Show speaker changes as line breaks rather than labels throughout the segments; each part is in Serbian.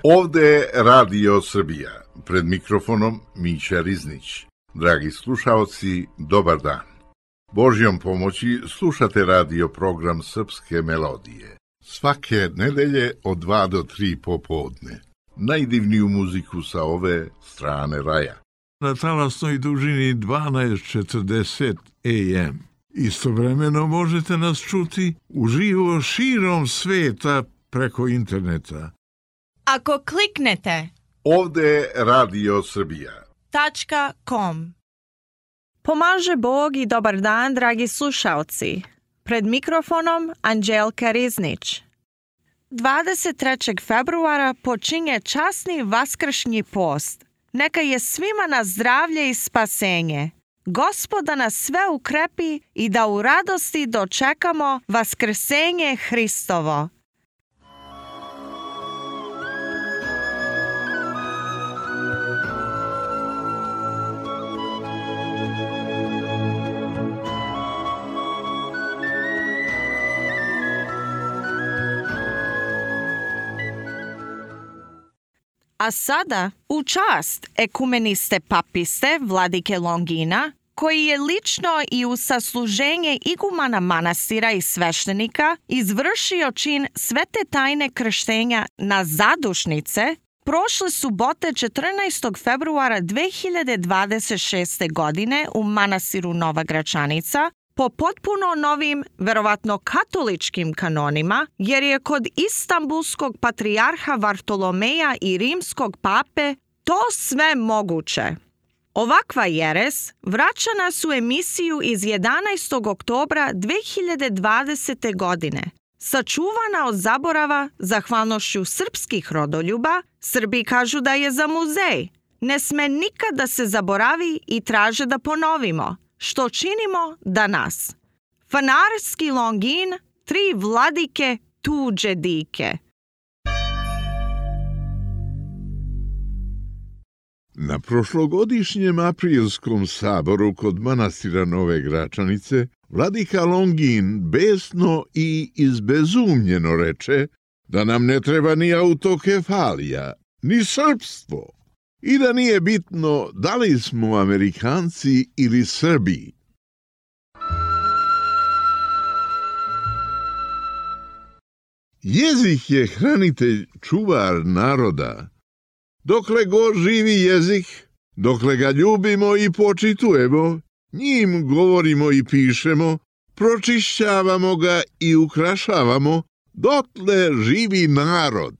Ovde je Radio Srbija, pred mikrofonom Mića Riznić. Dragi slušaoci, dobar dan. Božjom pomoći slušate radio program Srpske melodije. Svake nedelje od 2 do 3 popodne. Najdivniju muziku sa ove strane raja.
Na talasnoj dužini 1240 AM. Istovremeno možete nas čuti uživo širom sveta preko interneta.
Ako kliknete
Ovde je Radio Srbija.
.com. Pomaže Bog i dobar dan, dragi slušaoci. Pred mikrofonom Anđelka Riznić. 23. februara počinje časni vaskršnji post. Neka je svima na zdravlje i spasenje. Gospoda nas sve ukrepi i da u radosti dočekamo vaskrsenje Hristovo. A sada, u čast ekumeniste papiste Vladike Longina, koji je lično i u sasluženje igumana manastira i sveštenika izvršio čin svete tajne krštenja na zadušnice, prošle subote 14. februara 2026. godine u manastiru Nova Gračanica, po potpuno novim, verovatno katoličkim kanonima, jer je kod istambulskog patrijarha Vartolomeja i rimskog pape to sve moguće. Ovakva jeres vraća nas u emisiju iz 11. oktobra 2020. godine. Sačuvana od zaborava zahvalnošću srpskih rodoljuba, Srbi kažu da je za muzej. Ne sme nikad da se zaboravi i traže da ponovimo. Što činimo danas? Fanarski Longin, 3 vladike tuđe dike.
Na prošlogodišnjem aprilskom saboru kod manastira Nove Gračanice, vladika Longin besno i izbezumljeno reče da nam ne treba ni autokefalija, ni srpstvo. I da nije bitno da li smo Amerikanci ili Srbi. Jezik je hranitelj, čuvar naroda. Dokle god živi jezik, dokle ga ljubimo i počitujemo, njim govorimo i pišemo, pročišćavamo ga i ukrašavamo, dotle živi narod.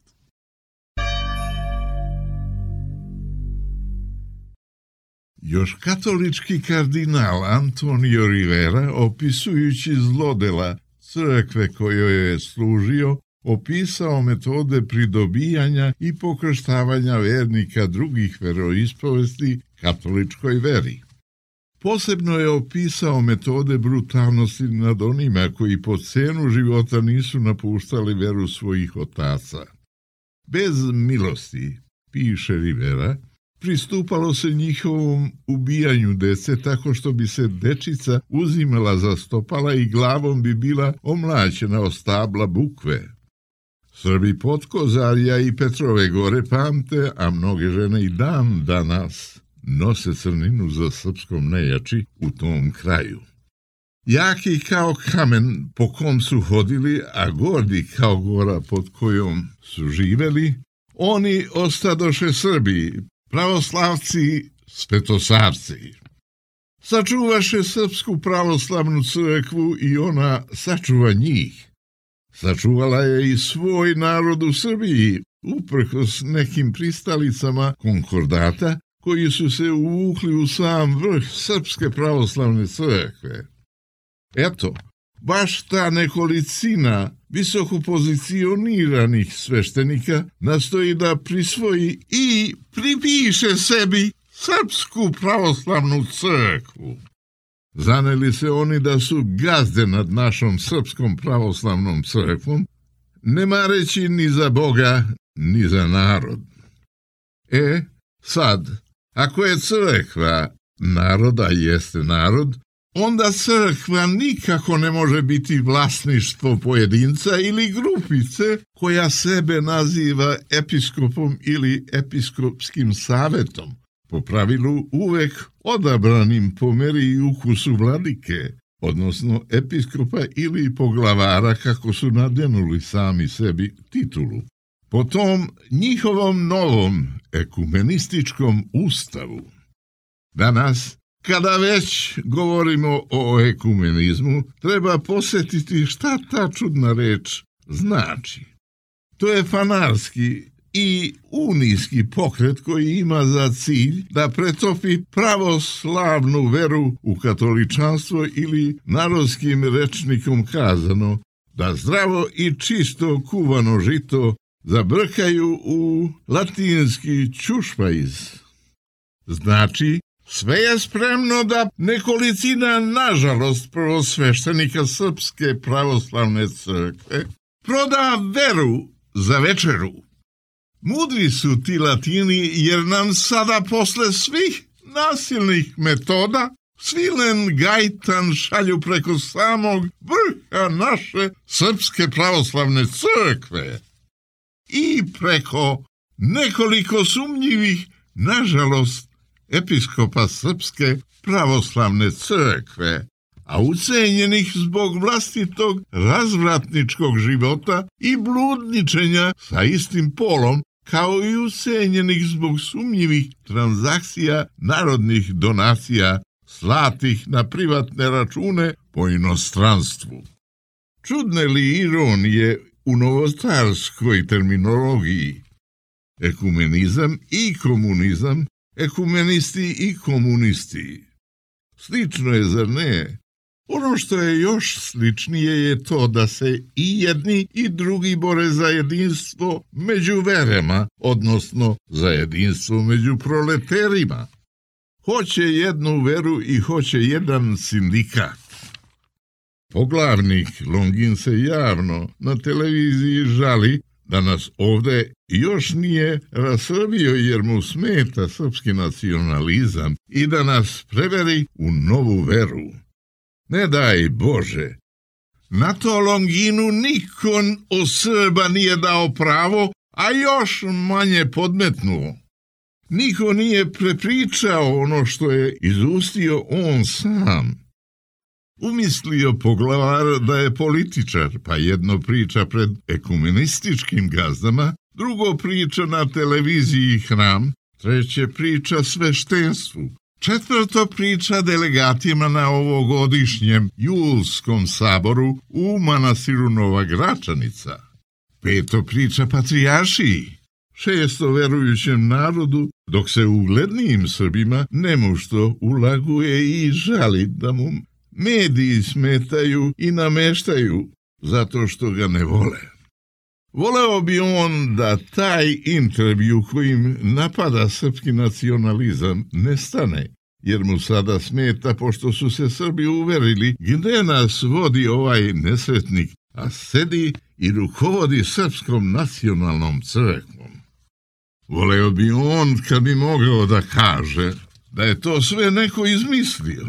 Još katolički kardinal Antonio Rivera, opisujući zlodela crkve kojoj je služio, opisao metode pridobijanja i pokrštavanja vernika drugih veroispovesti katoličkoj veri. Posebno je opisao metode brutalnosti nad onima koji po cenu života nisu napuštali veru svojih otaca. Bez milosti, piše Rivera, pristupalo se njihovom ubijanju dece tako što bi se dečica uzimala za stopala i glavom bi bila omlaćena o stabla bukve. Srbi Potkozarja i Petrove Gore pamte, a mnoge žene i dan danas nose crninu za srpskom nejači u tom kraju. Jaki kao kamen po kom su hodili, a gordi kao gora pod kojom su živeli, oni ostadoše Srbi, pravoslavci, svetosavci. Sačuvaše Srpsku pravoslavnu crkvu i ona sačuva njih. Sačuvala je i svoj narod u Srbiji, uprkos nekim pristalicama konkordata koji su se uvukli u sam vrh Srpske pravoslavne crkve. Eto, baš ta nekolicina visoko pozicioniranih sveštenika nastoji da prisvoji i pripiše sebi Srpsku pravoslavnu crkvu. Zaneli se oni da su gazde nad našom Srpskom pravoslavnom crkvom, ne mareći ni za Boga, ni za narod. Sad, ako je crkva naroda jeste narod, onda crkva nikako ne može biti vlasništvo pojedinca ili grupice koja sebe naziva episkopom ili episkopskim savetom, po pravilu uvek odabranim po meri i ukusu vladike, odnosno episkopa ili poglavara kako su nadenuli sami sebi titulu. Po tom njihovom novom ekumenističkom ustavu. Danas, kada već govorimo o ekumenizmu, treba posjetiti šta ta čudna reč znači. To je fanarski i unijski pokret koji ima za cilj da pretopi pravoslavnu veru u katoličanstvo ili narodskim rečnikom kazano, da zdravo i čisto kuvano žito zabrkaju u latinski čušpajz. Znači, sve je spremno da nekolicina, nažalost, prvosveštenika Srpske pravoslavne crkve proda veru za večeru. Mudri su ti Latini, jer nam sada posle svih nasilnih metoda svilen gajtan šalju preko samog vrha naše Srpske pravoslavne crkve i preko nekoliko sumnjivih, nažalost, episkopa Srpske pravoslavne crkve, a ucenjenih zbog vlastitog razvratničkog života i bludničenja sa istim polom, kao i ucenjenih zbog sumnjivih transakcija narodnih donacija slatih na privatne račune po inostranstvu. Čudne li ironije u novotarskoj terminologiji? Ekumenizam i komunizam, ekumenisti i komunisti. Slično je, zar ne? Ono što je još sličnije je to da se i jedni i drugi bore za jedinstvo među verama, odnosno za jedinstvo među proleterima. Hoće jednu veru i hoće jedan sindikat. Poglavnik Longin se javno na televiziji žali da nas ovde još nije rasrbio jer mu smeta srpski nacionalizam i da nas preveri u novu veru. Ne daj Bože, na to Longinu niko od Srba nije dao pravo, a još manje podmetnuo. Niko nije prepričao ono što je izustio on sam. Umislio poglavar da je političar, pa jedno priča pred ekumenističkim gazdama, drugo priča na televiziji Hram, treće priča sveštenstvu, četvrto priča delegatima na ovogodišnjem julskom saboru u manastiru Nova Gračanica, peto priča patrijaršiji, šesto verujućem narodu, dok se uglednijim Srbima nemušto ulaguje i žali da mu mediji smetaju i nameštaju zato što ga ne vole. Voleo bi on da taj intervju kojim napada srpski nacionalizam ne stane, jer mu sada smeta pošto su se Srbi uverili gde nas vodi ovaj nesretnik, a sedi i rukovodi Srpskom nacionalnom crkvom. Voleo bi on kad bi mogao da kaže da je to sve neko izmislio,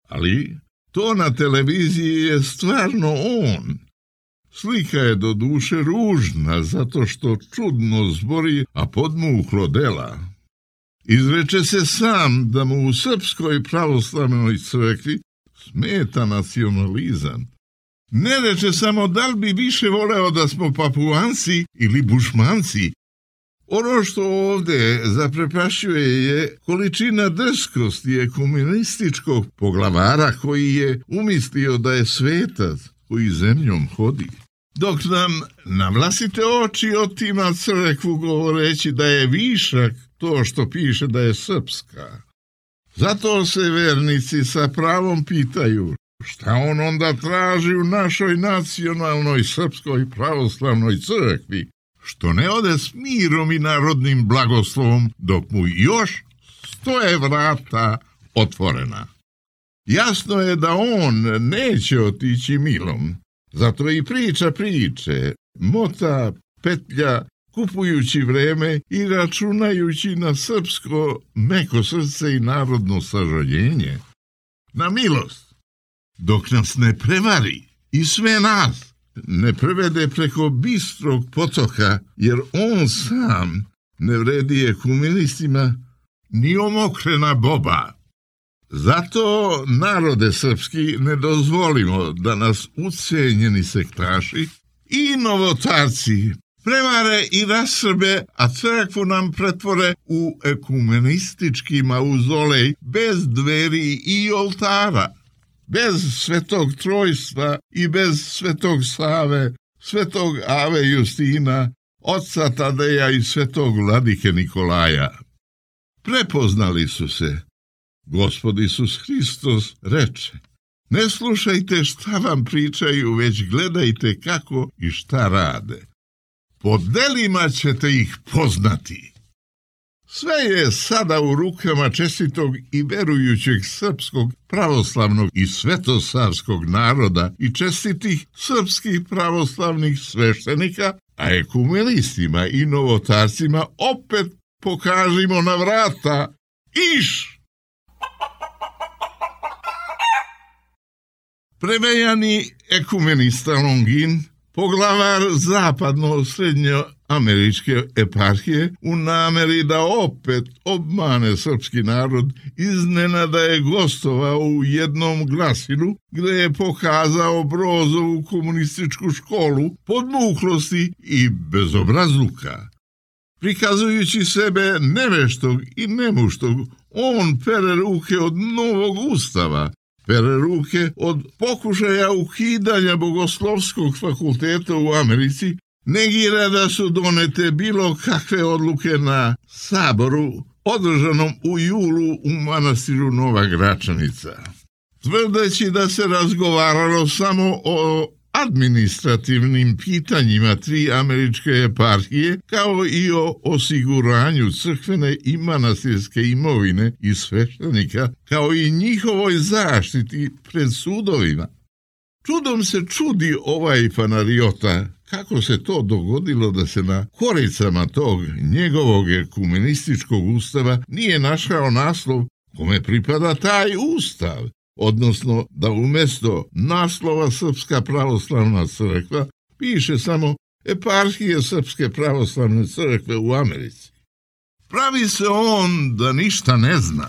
ali to na televiziji je stvarno on. Slika je do duše ružna, zato što čudno zbori, a podmuklo dela. Izreče se sam da mu u Srpskoj pravoslavnoj crkvi smeta nacionalizam. Ne reče samo da li bi više voleo da smo Papuanci ili Bušmanci. Ono što ovde zaprepašćuje je količina drskosti ekumenističkog poglavara koji je umislio da je svetac koji zemljom hodi. Dok nam na vlastite oči otima crkvu govoreći da je višak to što piše da je srpska. Zato se vernici sa pravom pitaju šta on onda traži u našoj nacionalnoj srpskoj pravoslavnoj crkvi, što ne ode s mirom i narodnim blagoslovom dok mu još stoje vrata otvorena. Jasno je da on neće otići milom, zato i priča priče, mota, petlja, kupujući vreme i računajući na srpsko meko srce i narodno sažaljenje. Na milost, dok nas ne prevari i sve nas ne prevede preko bistrog potoka, jer on sam ne vredi ekumenistima ni omokrena boba. Zato, narode srpski, ne dozvolimo da nas ucenjeni sektaši i novotarci prevare i rasrbe, a crkvu nam pretvore u ekumenistički mauzolej bez dveri i oltara, bez svetog trojstva i bez svetog Save, svetog Ave Justina, oca Tadeja i svetog vladike Nikolaja. Prepoznali su se. Gospod Isus Hristos reče: ne slušajte šta vam pričaju, već gledajte kako i šta rade. Po delima ćete ih poznati. Sve je sada u rukama čestitog i verujućeg srpskog pravoslavnog i svetosavskog naroda i čestitih srpskih pravoslavnih sveštenika, a ekumenistima i novotarcima opet pokažimo na vrata: iš! Prevejani ekumenista Longin, poglavar zapadno-srednjoameričke eparhije, u nameri da opet obmane srpski narod, iznenada je gostovao u jednom glasilu gde je pokazao Brozovu komunističku školu podmuklosti i bezobrazluka. Prikazujući sebe neveštog i nemuštog, on pere ruke od novog ustava, pere ruke od pokušaja ukidanja bogoslovskog fakulteta u Americi, negira da su donete bilo kakve odluke na saboru održanom u julu u manastiru Nova Gračanica. Tvrdeći da se razgovaralo samo o administrativnim pitanjima 3 američke eparhije, kao i o osiguranju crkvene i manastirske imovine i sveštenika, kao i njihovoj zaštiti pred sudovima. Čudom se čudi ovaj fanariota kako se to dogodilo da se na koricama tog njegovog ekumenističkog ustava nije našao naslov kome pripada taj ustav, odnosno da umjesto naslova Srpska pravoslavna crkva piše samo Eparhije Srpske pravoslavne crkve u Americi. Pravi se on da ništa ne zna.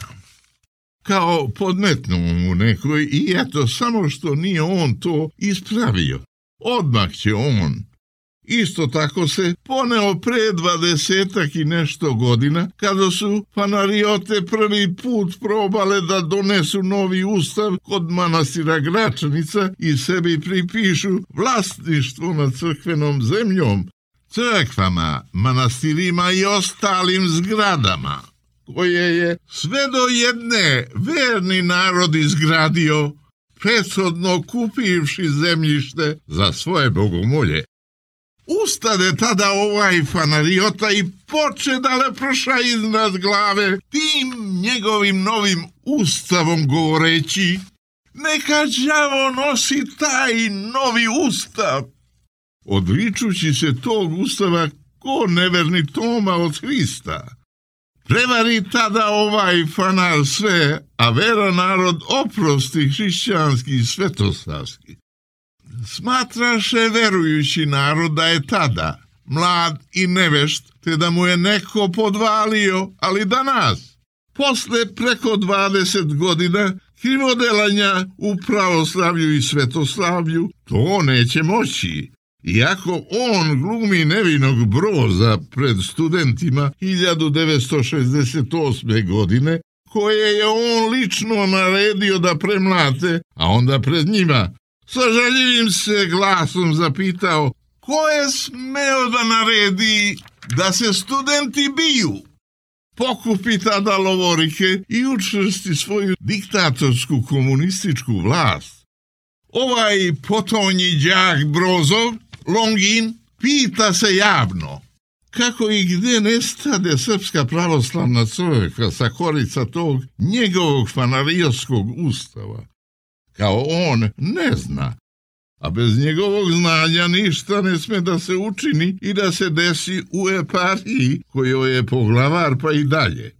Kao podmetnuo mu nekoj i eto, samo što nije on to ispravio. Odmah će on. Isto tako se poneo pre 20 i nešto godina, kada su fanariote prvi put probale da donesu novi ustav kod manastira Gračanica i sebi pripišu vlasništvo nad crkvenom zemljom, crkvama, manastirima i ostalim zgradama, koje je sve do jedne verni narod izgradio, prethodno kupivši zemljište za svoje bogomolje. Ustade tada ovaj fanariota i poče da leprša iznad glave tim njegovim novim ustavom govoreći: neka đavo nosi taj novi ustav. Odričući se tog ustava ko neverni Toma od Hrista. Prevari tada ovaj fanar sve, a vera narod oprosti hrišćanski i svetosavski. Smatraše verujući narod da je tada mlad i nevešt, te da mu je neko podvalio, ali danas, posle preko 20 godina krivodelanja u pravoslavlju i svetoslavlju, to neće moći. Iako on glumi nevinog Broza pred studentima 1968. godine, koje je on lično naredio da premlate, a onda pred njima sa žaljivim se glasom zapitao ko je smeo da naredi da se studenti biju. Pokupi tada lovorike i učvrsti svoju diktatorsku komunističku vlast. Ovaj potonji đak Brozov, Longin, pita se javno kako i gde nestade Srpska pravoslavna crkva sa korica tog njegovog fanariotskog ustava. Kao on ne zna, a bez njegovog znanja ništa ne sme da se učini i da se desi u eparhiji kojoj je poglavar pa i dalje.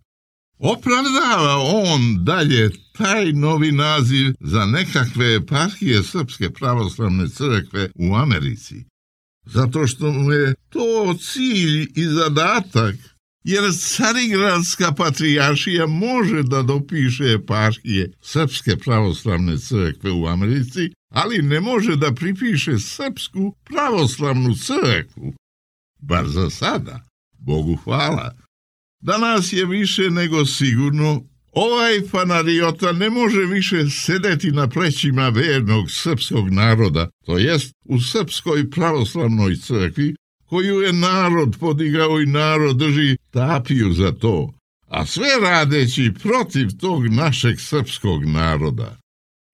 Opravdava on dalje taj novi naziv za nekakve eparhije Srpske pravoslavne crkve u Americi, zato što mu je to cilj i zadatak, jer Carigradska patrijaršija može da dopiše eparhije Srpske pravoslavne crkve u Americi, ali ne može da pripiše Srpsku pravoslavnu crkvu. Bar za sada, Bogu hvala. Danas je više nego sigurno, ovaj fanariota ne može više sedeti na plećima vernog srpskog naroda, to jest u Srpskoj pravoslavnoj crkvi, koju je narod podigao i narod drži tapiju za to, a sve radeći protiv tog našeg srpskog naroda.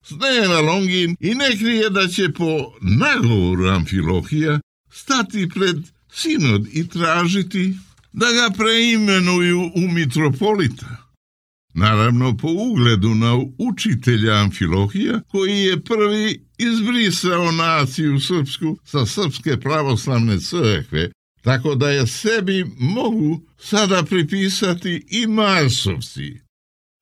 Sneva Longin i ne krije da će po nagovoru Amfilohija stati pred sinod i tražiti da ga preimenuju u mitropolita. Naravno po ugledu na učitelja Amfilohija, koji je prvi izbrisao naciju srpsku sa Srpske pravoslavne crkve, tako da je sebi mogu sada pripisati i Marsovci.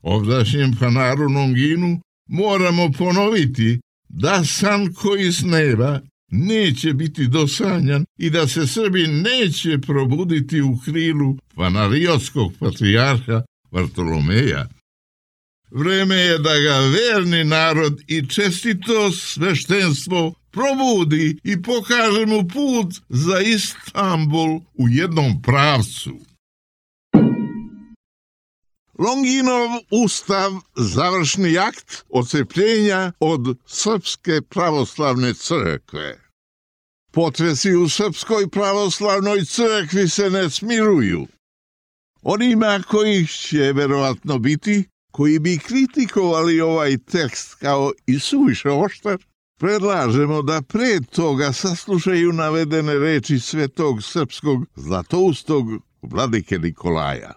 Ovdašnjem fanaru Longinu moramo ponoviti da san koji sneva neće biti dosanjan i da se Srbi neće probuditi u krilu fanariotskog patrijarha Vartolomeja. Vreme je da ga verni narod i čestito sveštenstvo probudi i pokaže mu put za Istanbul u jednom pravcu. Longinov ustav, završni akt odcepljenja od Srpske pravoslavne crkve. Potresi u Srpskoj pravoslavnoj crkvi se ne smiruju. Onima kojih će verovatno biti, koji bi kritikovali ovaj tekst kao i suviše oštar, predlažemo da pre toga saslušaju navedene reči svetog srpskog zlatoustog vladike Nikolaja.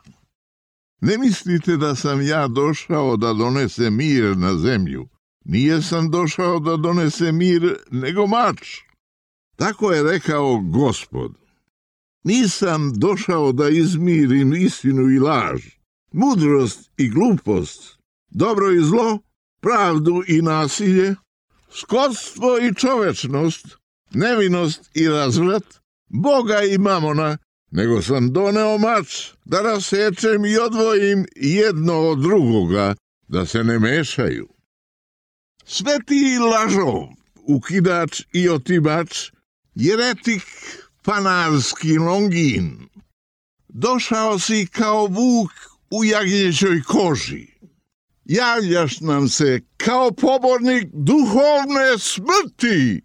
Ne mislite da sam ja došao da donese mir na zemlju. Nije sam došao da donese mir, nego mač. Tako je rekao Gospod. Nisam došao da izmirim istinu i laž, mudrost i glupost, dobro i zlo, pravdu i nasilje, skotstvo i čovečnost, nevinost i razvrat, Boga i mamona, nego sam doneo mač da rasečem i odvojim jedno od drugoga, da se ne mešaju. Sveti lažov, ukidač i otimač, jeretik fanarski Longin, došao si kao vuk u jagnjećoj koži. Javljaš nam se kao pobornik duhovne smrti.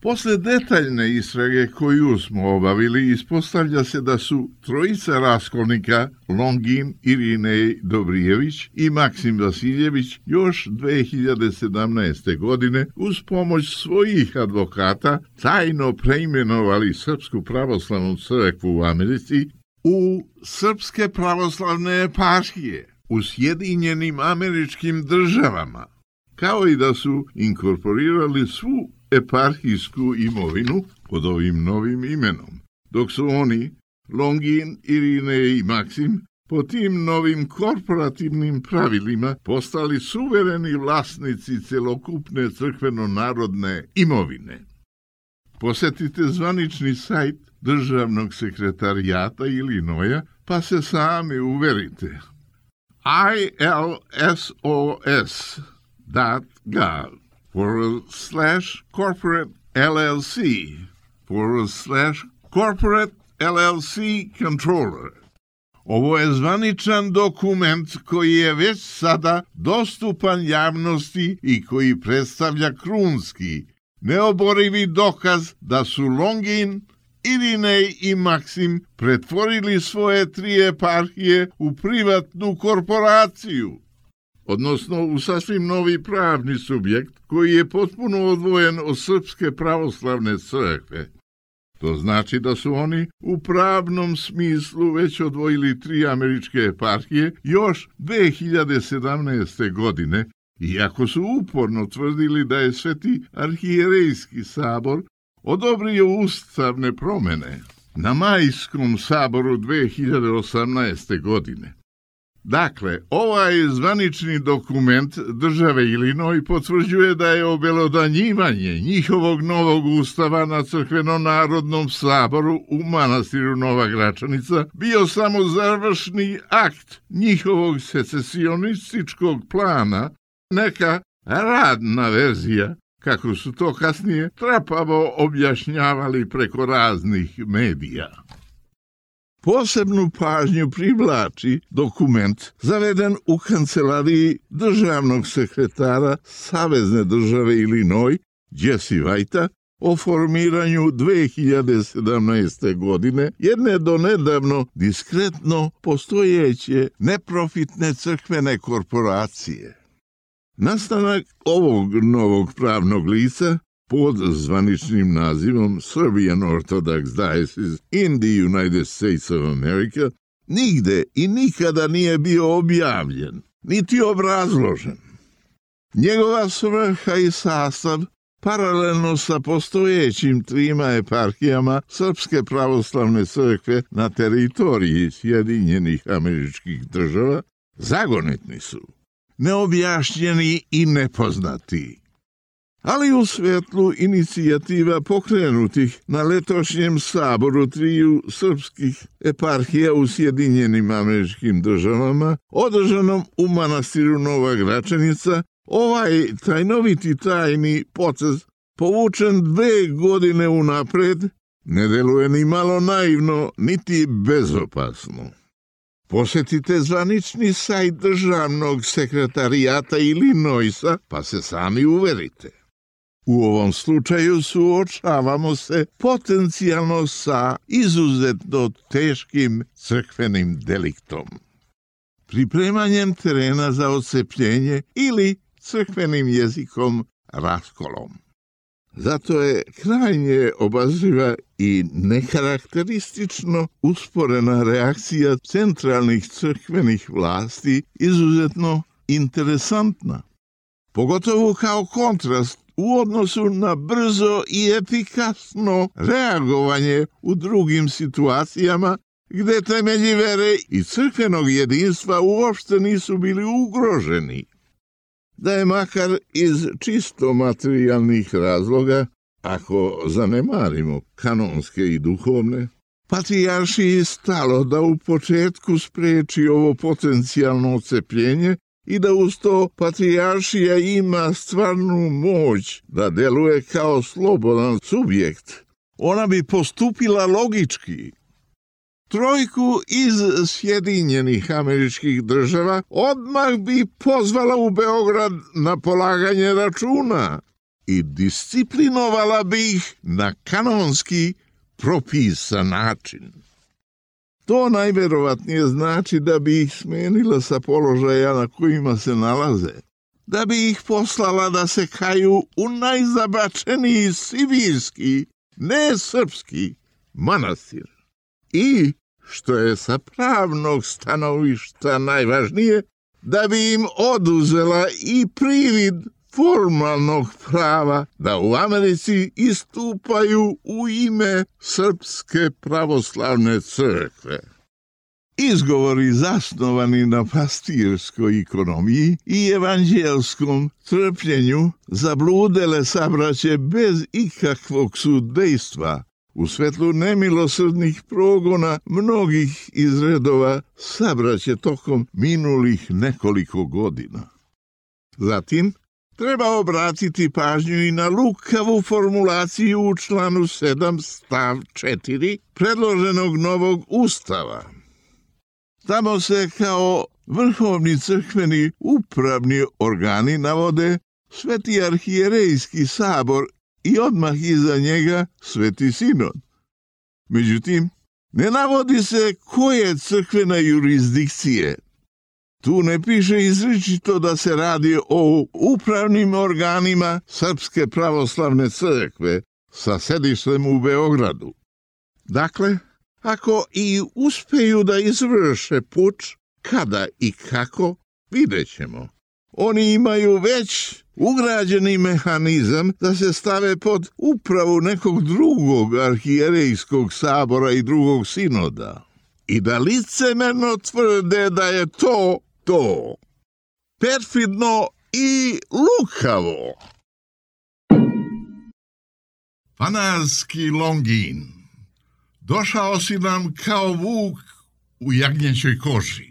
Posle detaljne istrage koju smo obavili, ispostavlja se da su trojica raskolnika, Longin, Irinej Dobrijević i Maksim Vasiljević, još 2017. godine uz pomoć svojih advokata tajno preimenovali Srpsku pravoslavnu crkvu u Americi u Srpske pravoslavne eparhije u Sjedinjenim Američkim Državama, kao i da su inkorporirali svu eparhijsku imovinu pod ovim novim imenom, dok su oni, Longin, Irinej i Maksim, po tim novim korporativnim pravilima postali suvereni vlasnici celokupne crkveno-narodne imovine. Posetite zvanični sajt Državnog sekretarijata Ilinoja, pa se sami uverite. ilsos.gov/corporate LLC/corporate LLC controller. Ovo je zvaničan dokument koji je već sada dostupan javnosti i koji predstavlja krunski, neoborivi dokaz da su Longin, Irinej i Maksim pretvorili svoje 3 eparhije u privatnu korporaciju, odnosno u sasvim novi pravni subjekt koji je potpuno odvojen od Srpske pravoslavne crkve. To znači da su oni u pravnom smislu već odvojili 3 američke eparhije još 2017. godine, iako su uporno tvrdili da je Sveti arhijerejski sabor odobrio ustavne promene na Majskom saboru 2018. godine. Dakle, ovaj zvanični dokument države Illinois potvrđuje da je obelodanjivanje njihovog novog ustava na Crkveno-narodnom saboru u manastiru Nova Gračanica bio samo završni akt njihovog secesionističkog plana, neka radna verzija, kako su to kasnije trapavo objašnjavali preko raznih medija. Posebnu pažnju privlači dokument zaveden u kancelariji državnog sekretara Savezne države Illinois, Jesse Whitea, o formiranju 2017. godine jedne donedavno diskretno postojeće neprofitne crkvene korporacije. Nastanak ovog novog pravnog lica pod zvaničnim nazivom Serbian Orthodox Diocese in the United States of America nigde i nikada nije bio objavljen, niti obrazložen. Njegova svrha i sastav, paralelno sa postojećim 3 eparhijama Srpske pravoslavne crkve na teritoriji Sjedinjenih Američkih Država, zagonetni su, neobjašnjeni i nepoznati. Ali u svetlu inicijativa pokrenutih na letošnjem saboru 3 srpskih eparhija u Sjedinjenim Američkim Državama, održanom u manastiru Nova Gračanica, ovaj tajnoviti tajni potez, povučen 2 godine unapred, ne deluje ni malo naivno, niti bezopasno. Posjetite zvanični sajt državnog sekretarijata Illinoisa, pa se sami uverite. U ovom slučaju suočavamo se potencijalno sa izuzetno teškim crkvenim deliktom. Pripremanjem terena za odcepljenje ili crkvenim jezikom raskolom. Zato je krajnje obazriva i nekarakteristično usporena reakcija centralnih crkvenih vlasti izuzetno interesantna. Pogotovo kao kontrast u odnosu na brzo i efikasno reagovanje u drugim situacijama gde temelji vere i crkvenog jedinstva uopšte nisu bili ugroženi. Da je makar iz čisto materijalnih razloga, ako zanemarimo kanonske i duhovne, patrijaršiji stalo da u početku spreči ovo potencijalno odcepljenje i da uz to patrijaršija ima stvarnu moć da deluje kao slobodan subjekt, ona bi postupila logički. 3 iz Sjedinjenih Američkih Država odmah bi pozvala u Beograd na polaganje računa i disciplinovala bi ih na kanonski propisan način. To najverovatnije znači da bi ih smenila sa položaja na kojima se nalaze, da bi ih poslala da se kaju u najzabačeniji sibirski, ne srpski, manastir. I, što je sa pravnog stanovišta najvažnije, da bi im oduzela i privid formalnog prava da u Americi istupaju u ime Srpske pravoslavne crkve. Izgovori zasnovani na pastirskoj ekonomiji i evanđelskom trpljenju zabludele sabraće bez ikakvog sudejstva u svetlu nemilosrdnih progona mnogih iz redova sabraće tokom minulih nekoliko godina. Zatim, treba obratiti pažnju i na lukavu formulaciju u članu 7 stav 4 predloženog novog ustava. Tamo se kao vrhovni crkveni upravni organi navode Sveti arhijerejski sabor i odmah iza njega Sveti sinod. Međutim, ne navodi se koje crkvene jurisdikcije. Tu ne piše izričito da se radi o upravnim organima Srpske pravoslavne crkve sa sedištem u Beogradu. Dakle, ako i uspeju da izvrše puč, kada i kako, vidjet ćemo. Oni imaju već ugrađeni mehanizam da se stave pod upravu nekog drugog arhijerejskog sabora i drugog sinoda. i da licemerno tvrde da je to. Perfidno i lukavo. Fanarski Longin, došao si nam kao vuk u jagnjećoj koži.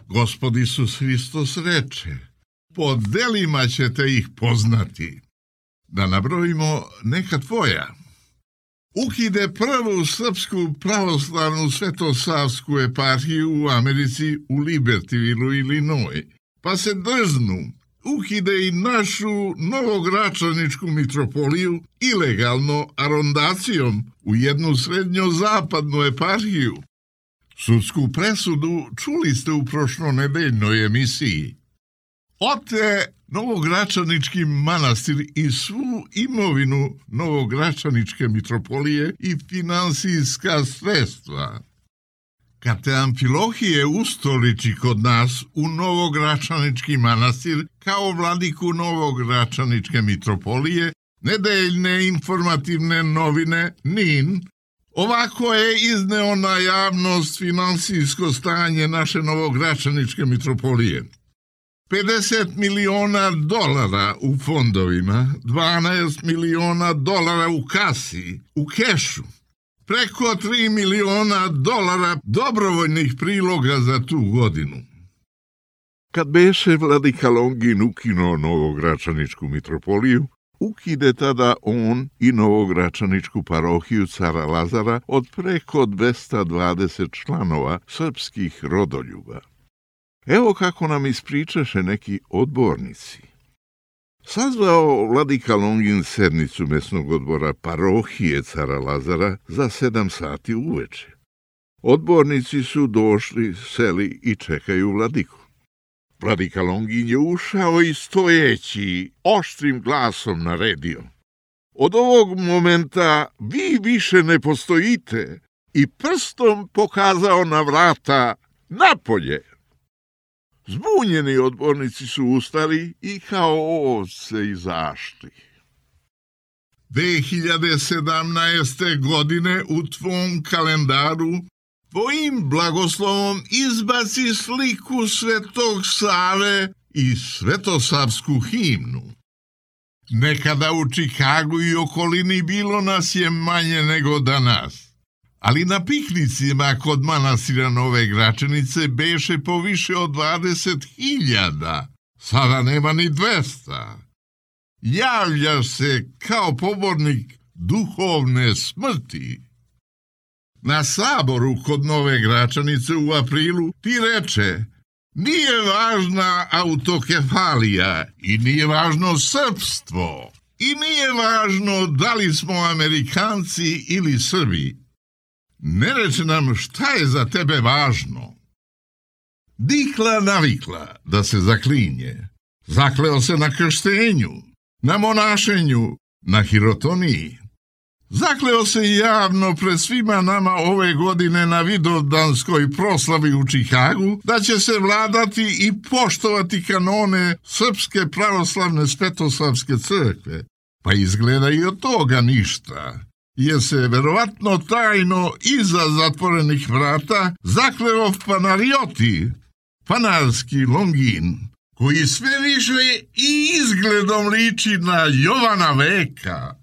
Gospod Isus Hristos reče, po delima ćete ih poznati. Da nabrojimo neka tvoja. Ukide prvu srpsku pravoslavnu svetosavsku eparhiju u Americi u Libertyvilu, Illinois, pa se drznu, ukide i našu novogračaničku mitropoliju ilegalno arondacijom u jednu srednjozapadnu eparhiju. Sudsku presudu čuli ste u prošlonedeljnoj emisiji. Ote Novogračanički manastir i svu imovinu Novogračaničke mitropolije i finansijska sredstva. Kad te Amfilohije ustoliči kod nas u Novogračanički manastir kao vladiku Novogračaničke mitropolije, nedeljne informativne novine NIN, ovako je izneo na javnost finansijsko stanje naše Novogračaničke mitropolije. $50 miliona u fondovima, $12 miliona u kasi, u kešu, preko $3 miliona dobrovoljnih priloga za tu godinu. Kad beše vladika Longin ukinuo Novogračaničku mitropoliju, ukide tada on i Novogračaničku parohiju Cara Lazara od preko 220 članova srpskih rodoljuba. Evo kako nam ispričaše neki odbornici. Sazvao vladika Longin sednicu mesnog odbora parohije Cara Lazara za 7 sati uveče. Odbornici su došli, seli i čekaju vladiku. Vladika Longin je ušao i stojeći, oštrim glasom naredio. Od ovog momenta vi više ne postojite i prstom pokazao na vrata napolje. Zbunjeni odbornici su ustali i kao ovce izašli. 2017. godine u tvom kalendaru tvojim blagoslovom izbaci sliku Svetog Save i svetosavsku himnu. Nekada u Čikagu i okolini bilo nas je manje nego danas, ali na piknicima kod manastira Nove Gračanice beše po više od 20.000, sada nema ni 200. Javljaš se kao pobornik duhovne smrti. Na saboru kod Nove Gračanice u aprilu ti reče, nije važna autokefalija i nije važno srpstvo i nije važno da li smo Amerikanci ili Srbi. Ne reče nam šta je za tebe važno. Dikla navikla da se zaklinje. Zakleo se na krštenju, na monašenju, na hirotoniji. Zakleo se javno pred svima nama ove godine na vidovdanskoj proslavi u Čikagu da će se vladati i poštovati kanone Srpske pravoslavne svetosavske crkve. Pa izgleda i od toga ništa, jer se verovatno tajno iza zatvorenih vrata zakleo fanarioti, fanarski Longin, koji sve više i izgledom liči na Jovana Veka.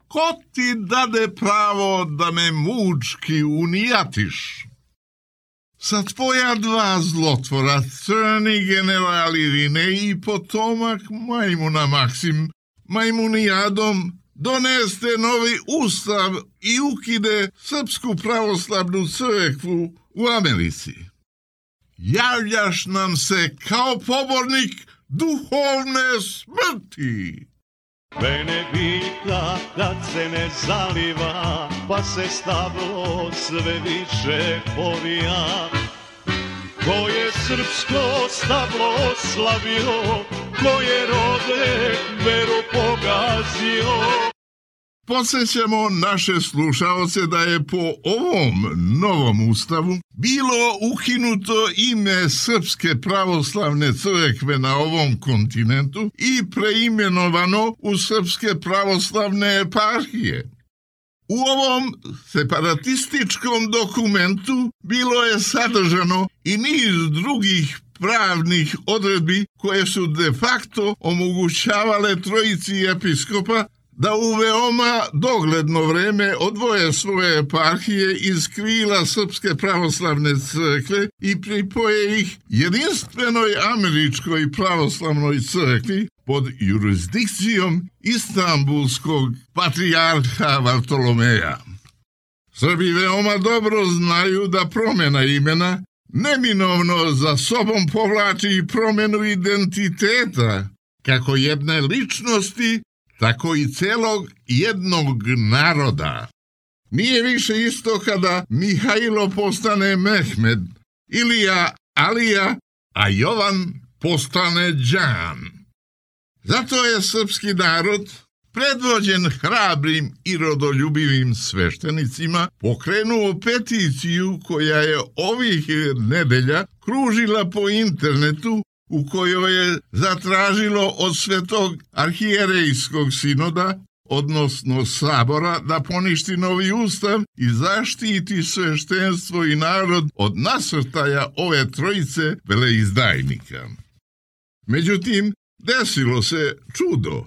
Ko ti dade pravo da me mučki unijatiš? Sa tvoja 2 zlotvora, crni generali Rine i potomak majmuna Maksim, majmunijadom, doneste novi ustav i ukide Srpsku pravoslavnu crkvu u Americi. Javljaš nam se kao pobornik duhovne smrti.
Benedikta kad se ne zaliva, pa se stablo sve više povija. Ko je srpsko stablo slavio, ko je rode veru pogazio.
Podsjećamo naše slušaoce da je po ovom novom ustavu bilo ukinuto ime Srpske pravoslavne crkve na ovom kontinentu i preimenovano u Srpske pravoslavne eparhije. U ovom separatističkom dokumentu bilo je sadržano i niz drugih pravnih odredbi koje su de facto omogućavale trojici episkopa da u veoma dogledno vreme odvoje svoje eparhije iz krila Srpske pravoslavne crkve i pripoje ih jedinstvenoj američkoj pravoslavnoj crkvi pod jurisdikcijom Istanbulskog patrijarha Vartolomeja. Srbi veoma dobro znaju da promjena imena neminovno za sobom povlači i promjenu identiteta, kako jedne ličnosti, tako i celog jednog naroda. Nije više isto kada Mihajlo postane Mehmed, Ilija Alija, a Jovan postane Đan. Zato je srpski narod, predvođen hrabrim i rodoljubivim sveštenicima, pokrenuo peticiju koja je ovih nedelja kružila po internetu, u kojoj je zatražilo od Svetog arhijerejskog sinoda, odnosno sabora, da poništi novi ustav i zaštiti sveštenstvo i narod od nasrtaja ove trojice veleizdajnika. Međutim, desilo se čudo.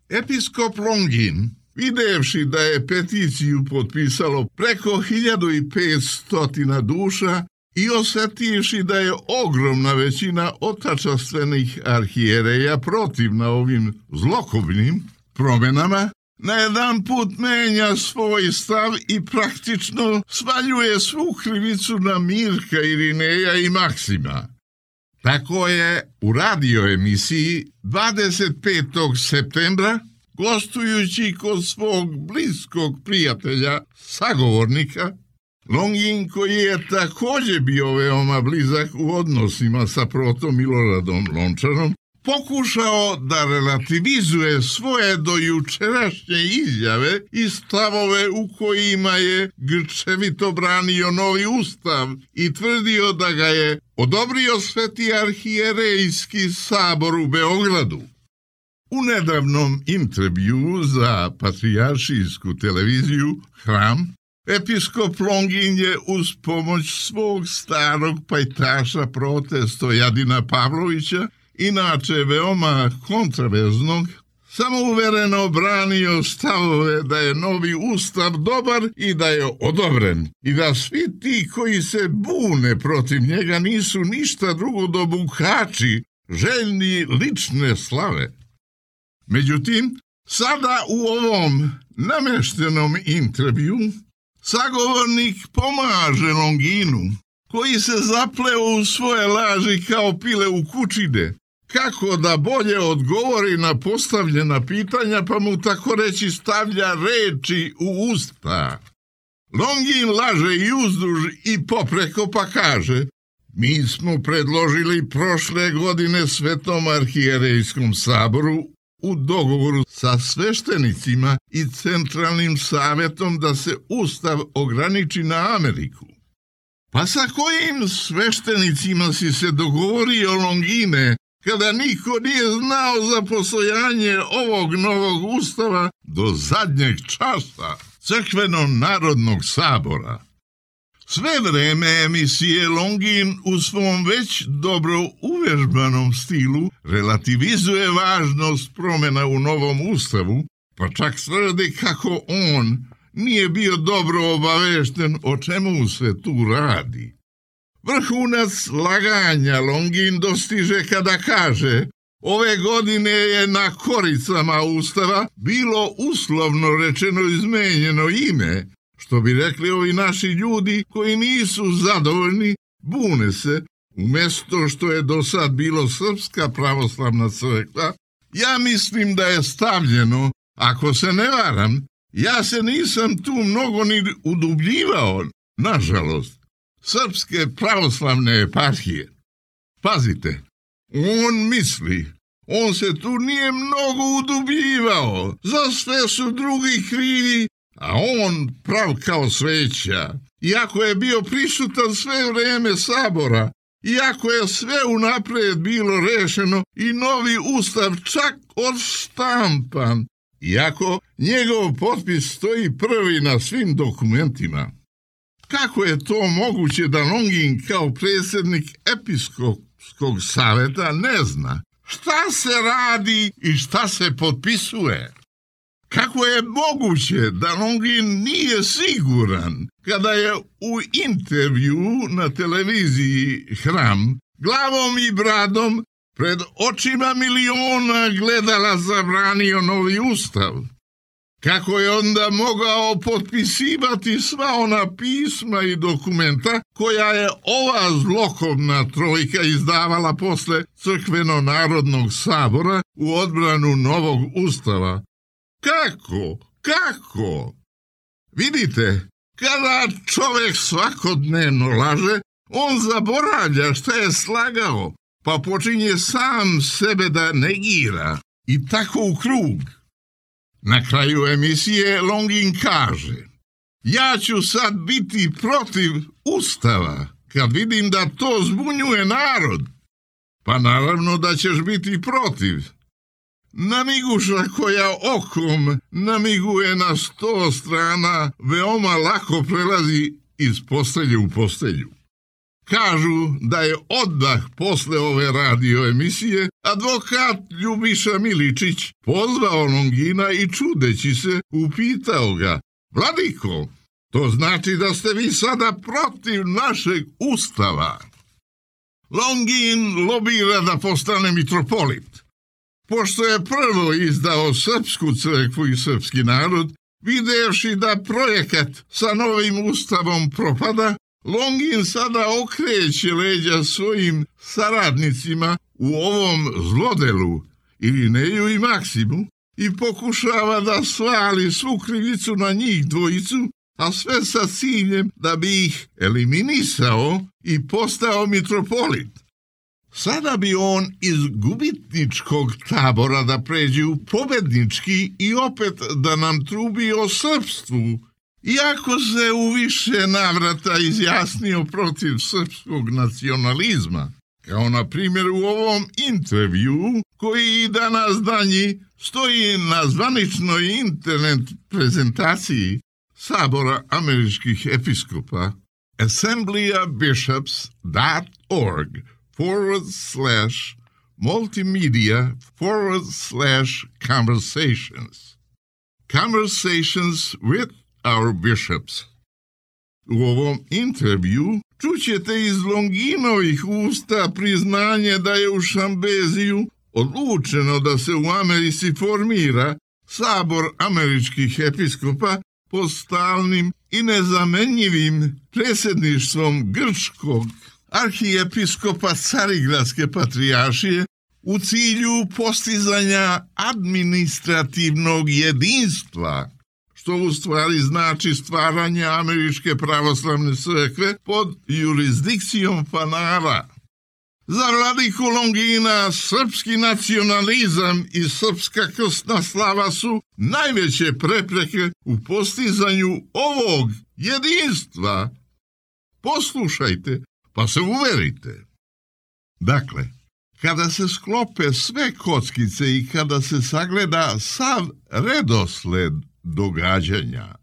Episkop Longin, videvši da je peticiju potpisalo preko 1500 duša i osjetivši da je ogromna većina otačastvenih arhijereja protivna ovim zlokobnim promjenama, na jedan put menja svoj stav i praktično svaljuje svu krivicu na Mirka, Irineja i Maksima. Tako je u radio emisiji 25. septembra, gostujući kod svog bliskog prijatelja, sagovornika, Longin, koji je također bio veoma blizak u odnosima sa protom Miloradom Lončarom, pokušao da relativizuje svoje dojučerašnje izjave i stavove u kojima je grčevito branio novi ustav i tvrdio da ga je odobrio Sveti arhijerejski sabor u Beogradu. U nedavnom intervjuu za patrijaršijsku televiziju Hram, episkop Longin je uz pomoć svog starog pajtaša prote Stojadina Pavlovića, inače veoma kontraverznog, samouvereno branio stavove da je novi ustav dobar i da je odobren i da svi ti koji se bune protiv njega nisu ništa drugo do bukači, željni lične slave. Međutim, sada u ovom nameštenom intervju sagovornik pomaže Longinu, koji se zapleo u svoje laži kao pile u kučine, kako da bolje odgovori na postavljena pitanja, pa mu tako reći stavlja reči u usta. Longin laže i uzduž i popreko pa kaže: mi smo predložili prošle godine Svetom arhijerejskom saboru u dogovoru sa sveštenicima i centralnim savjetom da se ustav ograniči na Ameriku. Pa sa kojim sveštenicima si se dogovorio, Longine, kada niko nije znao za postojanje ovog novog ustava do zadnjeg časa Crkveno-narodnog sabora? Sve vreme emisije Longin u svom već dobro uvežbanom stilu relativizuje važnost promjena u novom ustavu, pa čak tvrdi kako on nije bio dobro obavešten o čemu se tu radi. Vrhunac laganja Longin dostiže kada kaže: ove godine je na koricama ustava bilo uslovno rečeno izmenjeno ime, što bi rekli ovi naši ljudi koji nisu zadovoljni, bune se, umjesto što je do sad bilo Srpska pravoslavna crkva. Ja mislim da je stavljeno, ako se ne varam, ja se nisam tu mnogo ni udubljivao, nažalost, Srpske pravoslavne eparhije. Pazite, on misli, on se tu nije mnogo udubljivao, za sve su drugi krivi, a on prav kao sveća. Iako je bio prisutan sve vreme sabora, iako je sve unaprijed bilo rešeno i novi ustav čak odštampan, iako njegov potpis stoji prvi na svim dokumentima. Kako je to moguće da Longin kao predsjednik episkopskog savjeta ne zna šta se radi i šta se potpisuje? Kako je moguće da Longin nije siguran kada je u intervju na televiziji Hram glavom i bradom pred očima miliona gledala zabranio novi ustav? Kako je onda mogao potpisivati sva ona pisma i dokumenta koja je ova zlokobna trojka izdavala posle Crkveno-narodnog sabora u odbranu novog ustava? Kako? Vidite, kada čovjek svakodnevno laže, on zaboravlja šta je slagao, pa počinje sam sebe da negira i tako u krug. Na kraju emisije Longin kaže: ja ću sad biti protiv ustava kad vidim da to zbunjuje narod. Pa naravno da ćeš biti protiv. Namiguša koja okom namiguje na 100 strana veoma lako prelazi iz postelje u postelju. Kažu da je odmah posle ove radio emisije advokat Ljubiša Miličić pozvao Longina i čudeći se upitao ga: Vladiko, to znači da ste vi sada protiv našeg ustava? Longin lobira da postane mitropolit. Pošto je prvo izdao srpsku crkvu i srpski narod, videvši da projekat sa novim ustavom propada, Longin sada okreće leđa svojim saradnicima u ovom zlodelu, Irineju i Maksimu, i pokušava da svali svu krivicu na njih dvojicu, a sve sa ciljem da bi ih eliminisao i postao mitropolit. Sada bi on iz gubitničkog tabora da pređe u pobednički i opet da nam trubi o srpstvu, iako se u više navrata izjasnio protiv srpskog nacionalizma, kao na primjer u ovom intervju koji i danas danji stoji na zvaničnoj internet prezentaciji Sabora američkih episkopa assemblyofbishops.org/multimedia/conversations. Conversations with our bishops. U ovom intervju čućete iz Longinovih usta priznanje da je u Šambeziju odlučeno da se u Americi formira Sabor američkih episkopa pod stalnim i nezamenjivim predsjedništvom grčkog arhijepiskopa Carigradske patrijaršije u cilju postizanja administrativnog jedinstva, što u stvari znači stvaranje američke pravoslavne crkve pod jurisdikcijom Panara. Za vladiku Longina srpski nacionalizam i srpska krstna slava su najveće prepreke u postizanju ovog jedinstva. Poslušajte, pa se uverite. Dakle, kada se sklope sve kockice i kada se sagleda sav redosled događanja.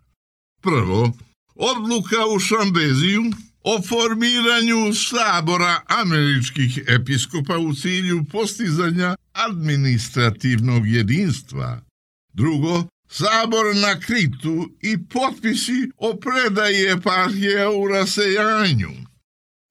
Prvo, odluka u Šambeziju o formiranju Sabora američkih episkopa u cilju postizanja administrativnog jedinstva. Drugo, Sabor na Kritu i potpisi o predaji eparhije u rasejanju.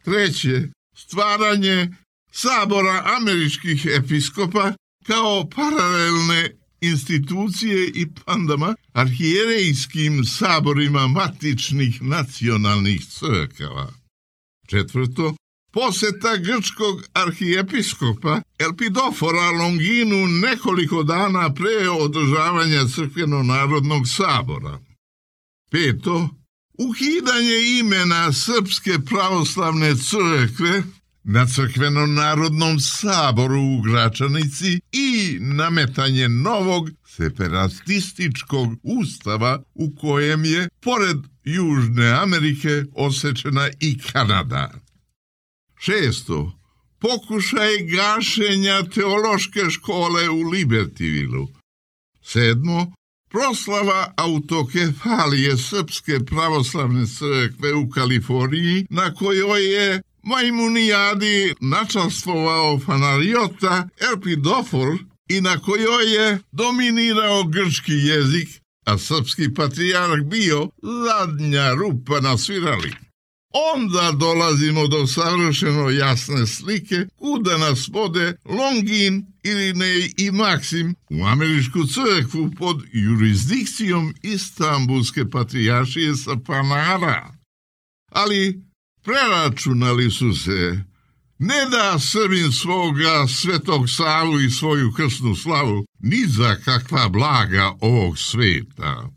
Treće, stvaranje Sabora američkih episkopa kao paralelne institucije i pandama arhijerejskim saborima matičnih nacionalnih crkava. Četvrto, poseta grčkog arhijepiskopa Elpidofora Longinu nekoliko dana pre održavanja Crkveno-narodnog sabora. Peto, ukidanje imena Srpske pravoslavne crkve na Crkveno-narodnom saboru u Gračanici i nametanje novog separatističkog ustava u kojem je, pored Južne Amerike, osečena i Kanada. Šesto, pokušaj gašenja teološke škole u Libertyvilu. 7. Proslava autokefalije Srpske pravoslavne crkve u Kaliforniji, na kojoj je Majmunijadi načastvovao Fanariota Elpidofor i na kojoj je dominirao grčki jezik, a srpski patrijarh bio zadnja rupa na svirali. Onda dolazimo do savršeno jasne slike kuda nas vode Longin, Irinej i Maksim u američku crkvu pod jurisdikcijom Istanbulske patrijaršije sa Panara. Ali preračunali su se, ne da Srbin svoga Svetog Savu i svoju krsnu slavu ni za kakva blaga ovog sveta.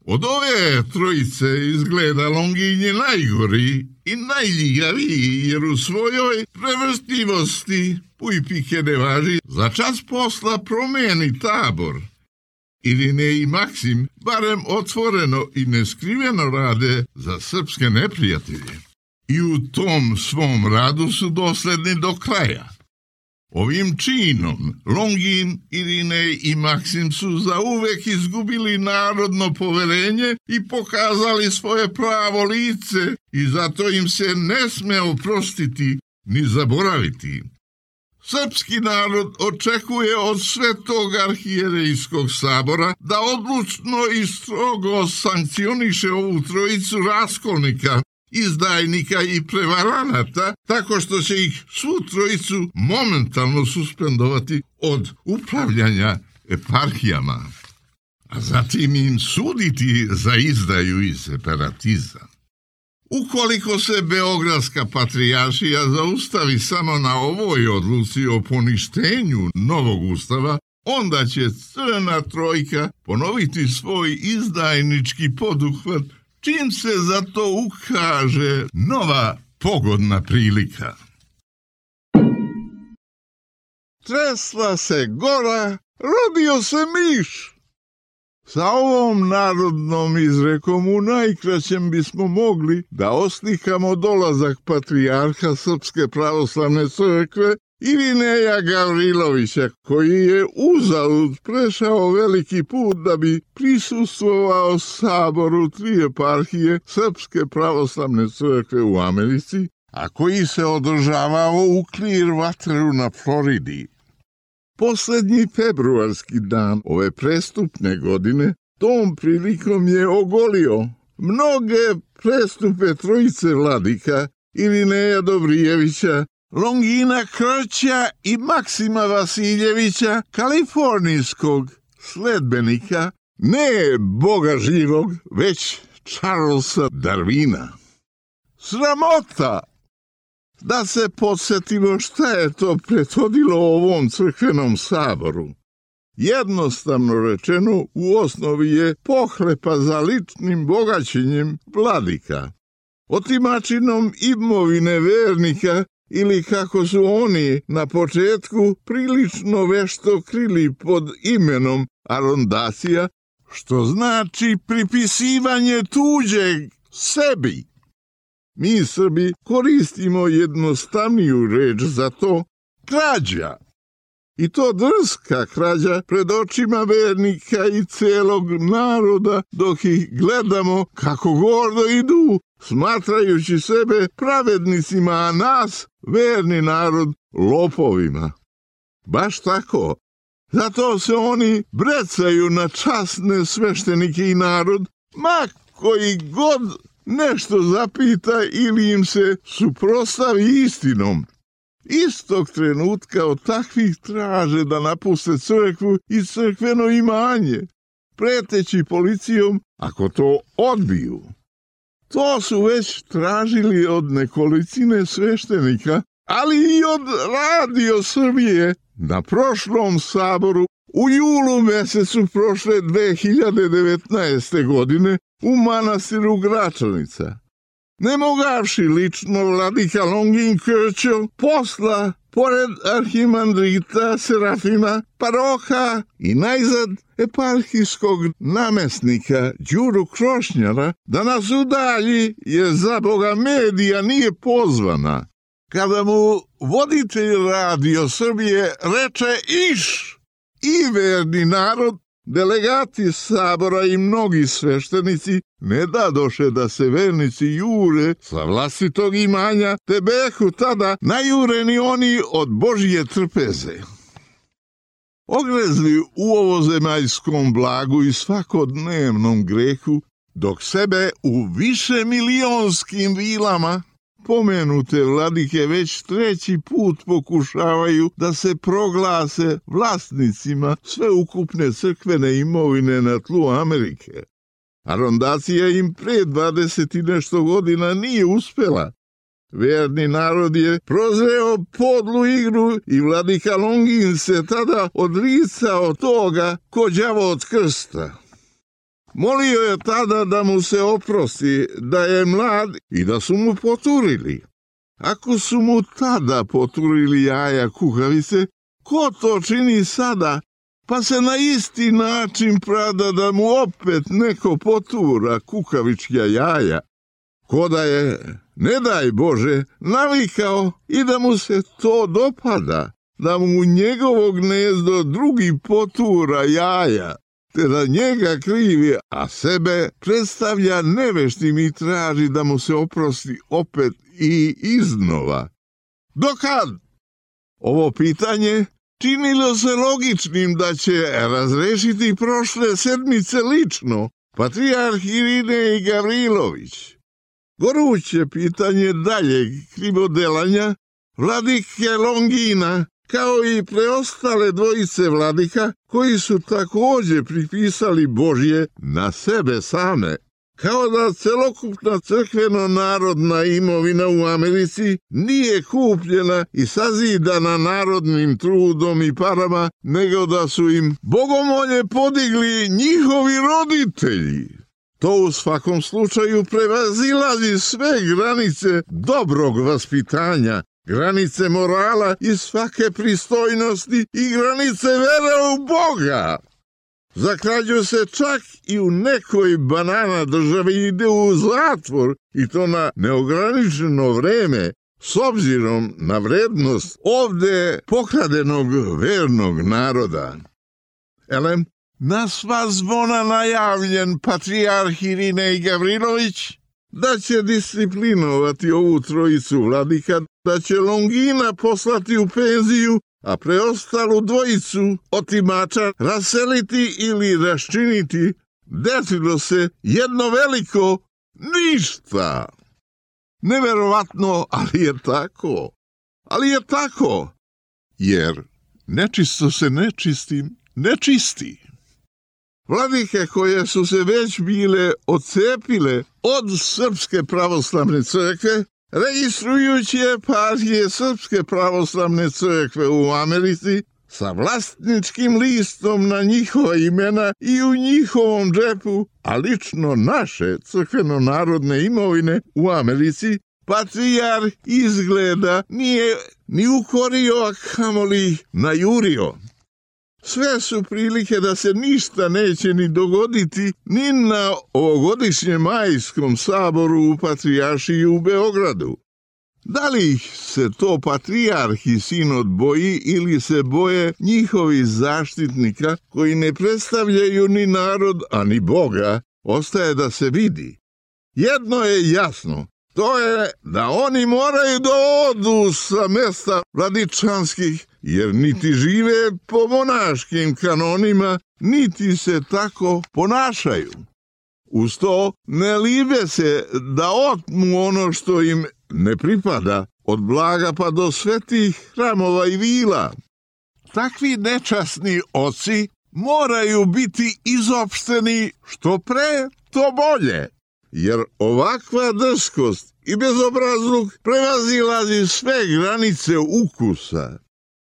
Od ove trojice izgleda Longin je najgori i najljigaviji, jer u svojoj prevrstivosti pujpike ne važi, za čas posla promeni tabor. Irinej i Maksim barem otvoreno i neskriveno rade za srpske neprijatelje. I u tom svom radu su dosledni do kraja. Ovim činom Longin, Irinej i Maksim su zauvek izgubili narodno poverenje i pokazali svoje pravo lice i zato im se ne sme oprostiti ni zaboraviti. Srpski narod očekuje od Svetog arhijerejskog sabora da odlučno i strogo sankcioniše ovu trojicu raskolnika, izdajnika i prevaranata, tako što će ih svu trojicu momentalno suspendovati od upravljanja eparhijama, a zatim im suditi za izdaju i separatizam. Ukoliko se Beogradska patrijaršija zaustavi samo na ovoj odluci o poništenju novog ustava, onda će Crna trojka ponoviti svoj izdajnički poduhvat čim se za to ukaže nova pogodna prilika.
Tresla se gora, rodio se miš. Sa ovom narodnom izrekom u najkraćem bismo mogli da oslikamo dolazak patrijarha Srpske pravoslavne crkve Irineja Gavrilovića, koji je uzalud prešao veliki put da bi prisustvovao saboru 3 eparhije Srpske pravoslavne crkve u Americi, a koji se održavao u Clearwateru na Floridi. Poslednji februarski dan ove prestupne godine tom prilikom je ogolio mnoge prestupe trojice vladika Irineja Dobrijevića, Longina Krća i Maksima Vasiljevića, kalifornijskog sledbenika, ne Boga živog, već Charlesa Darwina. Sramota! Da se podsjetimo šta je to prethodilo ovom crkvenom saboru. Jednostavno rečeno, u osnovi je pohlepa za ličnim bogaćenjem vladika, otimačinom imovine vernika ili kako su oni na početku prilično vešto krili pod imenom arondacija, što znači pripisivanje tuđeg sebi. Mi Srbi koristimo jednostavniju reč za to, krađa. I to drska krađa pred očima vernika i celog naroda, dok ih gledamo kako gordo idu, smatrajući sebe pravednicima, a nas, verni narod, lopovima. Baš tako. Zato se oni brecaju na časne sveštenike i narod, ma koji god nešto zapita ili im se suprotstavi istinom. Istog trenutka od takvih traže da napuste crkvu i crkveno imanje, preteći policijom ako to odbiju. To su već tražili od nekolicine sveštenika, ali i od Radio Srbije na prošlom saboru u julu mesecu prošle 2019. godine u manastiru Gračanica. Ne mogavši lično vladika Longin Krćo posla, pored arhimandrita Serafima, paroha i najzad eparhijskog namestnika Đuru Krošnjara da nas udalji, jer za Boga medija nije pozvana. Kada mu voditelj Radio Srbije reče iš, i verni narod Delegati sabora i mnogi sveštenici ne dadoše da se vernici jure sa vlastitog imanja, te behu tada najureni oni od Božje trpeze. Ogrezli u ovozemaljskom blagu i svakodnevnom grehu, dok sebe u višemilijonskim vilama pomenute vladike već 3. put pokušavaju da se proglase vlasnicima sveukupne crkvene imovine na tlu Amerike. Arondacija im pre 20 i nešto godina nije uspela. Verni narod je prozreo podlu igru i vladika Longin se tada odricao toga ko đavo od krsta. Molio je tada da mu se oprosti, da je mlad i da su mu poturili. Ako su mu tada poturili jaja kukavice, ko to čini sada, pa se na isti način prada da mu opet neko potura kukavičja jaja? Ko da je, ne daj Bože, navikao i da mu se to dopada, da mu njegovo gnezdo drugi potura jaja, te da njega krivi, a sebe predstavlja neveštim i traži da mu se oprosti opet i iznova. Dokad? Ovo pitanje činilo se logičnim da će razrešiti prošle sedmice lično patrijarh Irinej Gavrilović. Goruće pitanje daljeg krivodelanja vladike Longina, kao i preostale dvojice vladika koji su također pripisali Božje na sebe same, kao da celokupna crkveno-narodna imovina u Americi nije kupljena i sazidana narodnim trudom i parama, nego da su im bogomolje podigli njihovi roditelji. To u svakom slučaju prevazilazi sve granice dobrog vaspitanja, granice morala i svake pristojnosti i granice vere u Boga. Za krađu se čak i u nekoj banana državi ide u zatvor, i to na neograničeno vreme, s obzirom na vrednost ovde pokradenog vernog naroda. Elem, na sva zvona najavljen patrijarh Irinej Gavrilović da će disciplinovati ovu trojicu vladika, da će Longina poslati u penziju, a preostalu dvojicu otimača raseliti ili raščiniti, desilo se jedno veliko ništa. Neverovatno, ali je tako. Ali je tako, jer nečisto se nečistim ne čisti. Vladike koje su se već bile odcepile od Srpske pravoslavne crkve, registrujući eparhije Srpske pravoslavne crkve u Americi sa vlasničkim listom na njihova imena i u njihovom džepu, a lično naše crkveno-narodne imovine u Americi, patrijarh izgleda nije ni ukorio, a kamoli najurio. Sve su prilike da se ništa neće ni dogoditi ni na ovogodišnjem majskom saboru u Patrijaršiji u Beogradu. Da li ih se to patrijarh i sinod boji ili se boje njihovi zaštitnika koji ne predstavljaju ni narod, a ni Boga, ostaje da se vidi. Jedno je jasno, to je da oni moraju da odu sa mesta vladičanskih, jer niti žive po monaškim kanonima, niti se tako ponašaju. Uz to ne libe se da otmu ono što im ne pripada, od blaga pa do svetih hramova i vila. Takvi nečasni oci moraju biti izopšteni što pre, to bolje, jer ovakva drskost i bezobrazluk prevazilazi sve granice ukusa.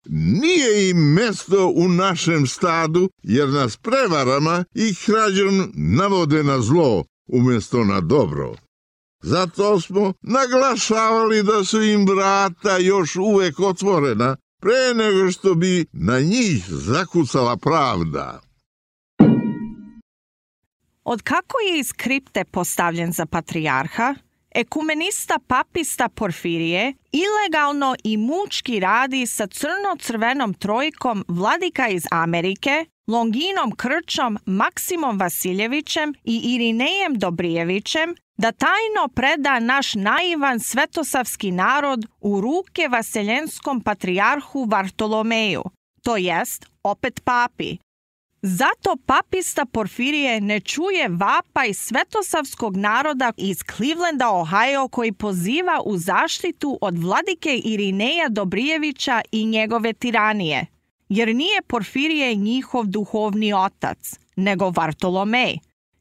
Nije im mesto u našem stadu, jer nas prevarama i krađom navode na zlo umjesto na dobro. Zato smo naglašavali da su im vrata još uvek otvorena, pre nego što bi na njih zakucala pravda.
Od kako je iz kripte postavljen za patrijarha, ekumenista papista Porfirije ilegalno i mučki radi sa crno-crvenom trojkom vladika iz Amerike, Longinom Krčom, Maksimom Vasiljevićem i Irinejem Dobrijevićem da tajno preda naš naivan svetosavski narod u ruke vaseljenskom patrijarhu Vartolomeju, to jest opet papi. Zato papista Porfirije ne čuje vapaj svetosavskog naroda iz Clevelanda, Ohio, koji poziva u zaštitu od vladike Irineja Dobrijevića i njegove tiranije, jer nije Porfirije njihov duhovni otac, nego Vartolomej.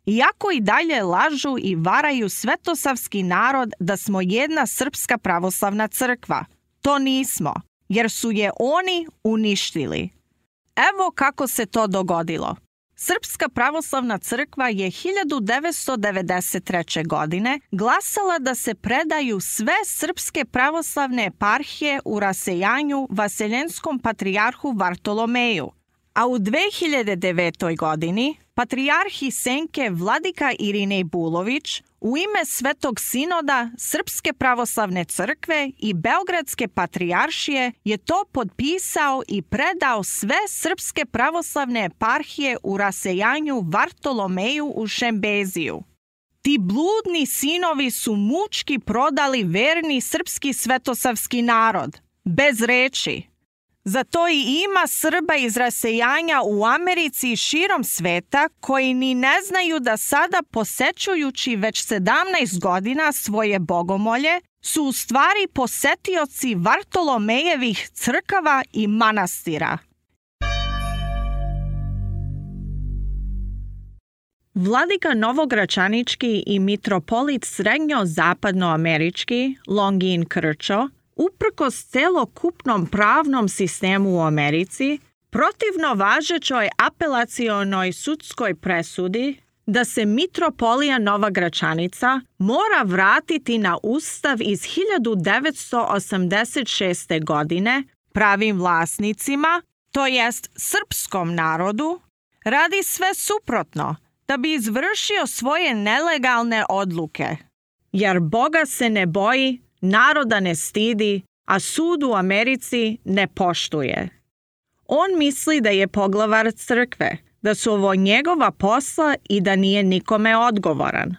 Iako i dalje lažu i varaju svetosavski narod da smo jedna srpska pravoslavna crkva. To nismo, jer su je oni uništili. Evo kako se to dogodilo. Srpska pravoslavna crkva je 1993. godine glasala da se predaju sve srpske pravoslavne eparhije u rasejanju vaseljenskom patrijarhu Vartolomeju, a u 2009. godini patrijarhi Senke vladika Irinej Bulović u ime Svetog sinoda Srpske pravoslavne crkve i Beogradske patrijaršije je to potpisao i predao sve srpske pravoslavne eparhije u rasejanju Vartolomeju u Šembeziju. Ti bludni sinovi su mučki prodali verni srpski svetosavski narod, bez reči. Zato i ima Srba iz rasejanja u Americi i širom sveta koji ni ne znaju da sada posećujući već 17 godina svoje bogomolje su u stvari posetioci Vartolomejevih crkava i manastira. Vladika Novogračanički i mitropolit srednjo-zapadnoamerički Longin Krčo uprkos celokupnom pravnom sistemu u Americi, protivno važećoj apelacionoj sudskoj presudi da se mitropolija Nova Gračanica mora vratiti na ustav iz 1986. godine pravim vlasnicima, to jest srpskom narodu, radi sve suprotno da bi izvršio svoje nelegalne odluke. Jer Boga se ne boji, naroda ne stidi, a sud u Americi ne poštuje. On misli da je poglavar crkve, da su ovo njegova posla i da nije nikome odgovoran.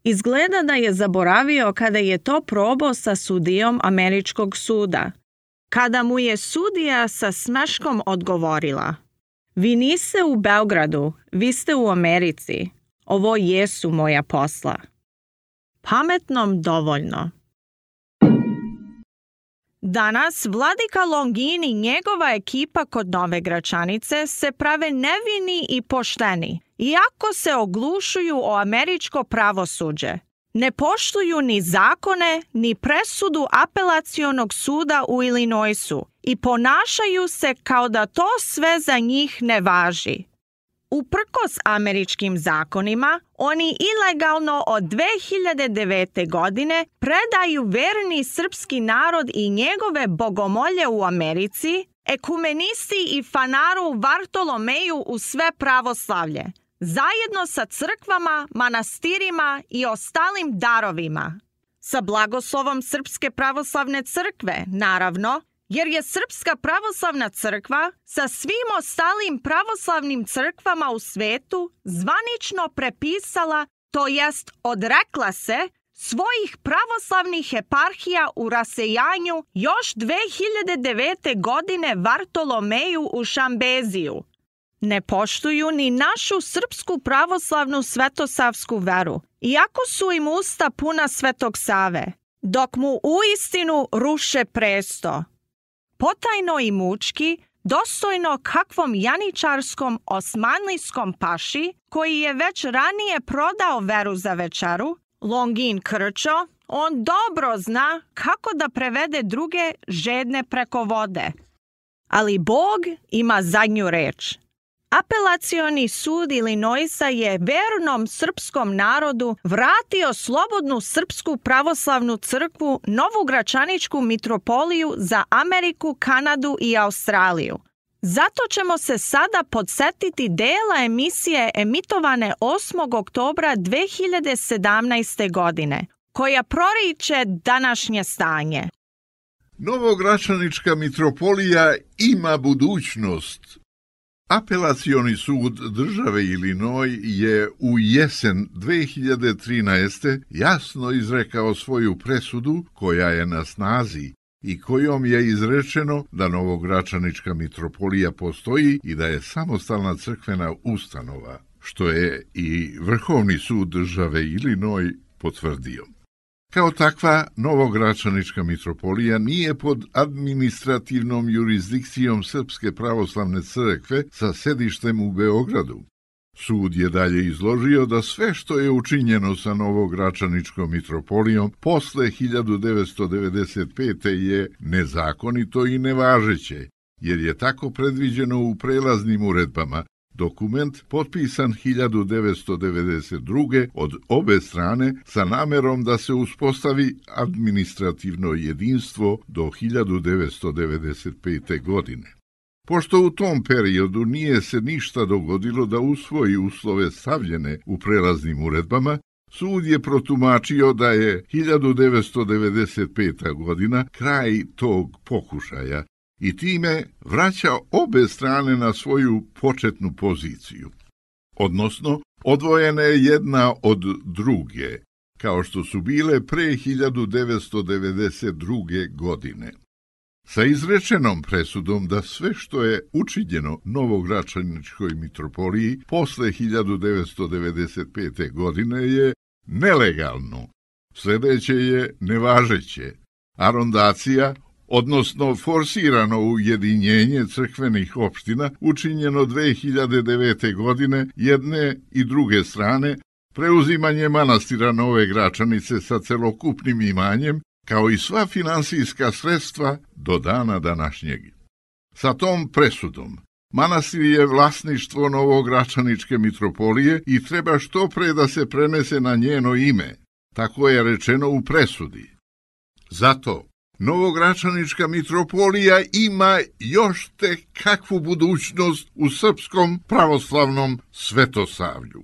Izgleda da je zaboravio kada je to probao sa sudijom američkog suda. Kada mu je sudija sa smeškom odgovorila: "Vi niste u Beogradu, vi ste u Americi. Ovo jesu moja posla." Pametnom dovoljno. Danas vladika Longin i njegova ekipa kod Nove Gračanice se prave nevini i pošteni, iako se oglušuju o američko pravosuđe. Ne poštuju ni zakone, ni presudu apelacionog suda u Illinoisu i ponašaju se kao da to sve za njih ne važi. Uprkos američkim zakonima, oni ilegalno od 2009. godine predaju verni srpski narod i njegove bogomolje u Americi, ekumenisti i fanaru Vartolomeju u sve pravoslavlje, zajedno sa crkvama, manastirima i ostalim darovima. Sa blagoslovom Srpske pravoslavne crkve, naravno, jer je Srpska pravoslavna crkva sa svim ostalim pravoslavnim crkvama u svetu zvanično prepisala, to jest odrekla se, svojih pravoslavnih eparhija u rasejanju još 2009. godine Vartolomeju u Šambeziju. Ne poštuju ni našu srpsku pravoslavnu svetosavsku veru, iako su im usta puna Svetog Save, dok mu uistinu ruše presto. Potajno i mučki, dostojno kakvom janičarskom osmanlijskom paši, koji je već ranije prodao veru za večeru, Longin Krčo, on dobro zna kako da prevede druge žedne preko vode. Ali Bog ima zadnju reč. Apelacioni sud Illinoisa je vernom srpskom narodu vratio slobodnu Srpsku pravoslavnu crkvu Novu Gračaničku mitropoliju za Ameriku, Kanadu i Australiju. Zato ćemo se sada podsetiti dela emisije emitovane 8. oktobra 2017. godine, koja proriče današnje stanje.
Novogračanička mitropolija ima budućnost. Apelacioni sud države Illinois je u jesen 2013. jasno izrekao svoju presudu koja je na snazi i kojom je izrečeno da Novogračanička mitropolija postoji i da je samostalna crkvena ustanova, što je i Vrhovni sud države Illinois potvrdio. Kao takva, Novogračanička mitropolija nije pod administrativnom jurisdikcijom Srpske pravoslavne crkve sa sedištem u Beogradu. Sud je dalje izložio da sve što je učinjeno sa Novogračaničkom mitropolijom posle 1995. je nezakonito i nevažeće, jer je tako predviđeno u prelaznim uredbama, dokument potpisan 1992. od obe strane sa namerom da se uspostavi administrativno jedinstvo do 1995. godine. Pošto u tom periodu nije se ništa dogodilo da usvoji uslove stavljene u prelaznim uredbama, sud je protumačio da je 1995. godina kraj tog pokušaja i time vraća obe strane na svoju početnu poziciju. Odnosno, odvojene jedna od druge, kao što su bile pre 1992. godine. Sa izrečenom presudom da sve što je učinjeno Novogračaničkoj mitropoliji posle 1995. godine je nelegalno, sljedeće je nevažeće, arondacija, odnosno forsirano ujedinjenje crkvenih opština učinjeno 2009. godine jedne i druge strane, preuzimanje manastira Nove Gračanice sa celokupnim imanjem, kao i sva finansijska sredstva do dana današnjeg. Sa tom presudom manastir je vlasništvo Novogračaničke mitropolije i treba što pre da se prenese na njeno ime, tako je rečeno u presudi. Zato Novogračanička mitropolija ima još tek kakvu budućnost u srpskom pravoslavnom svetosavlju.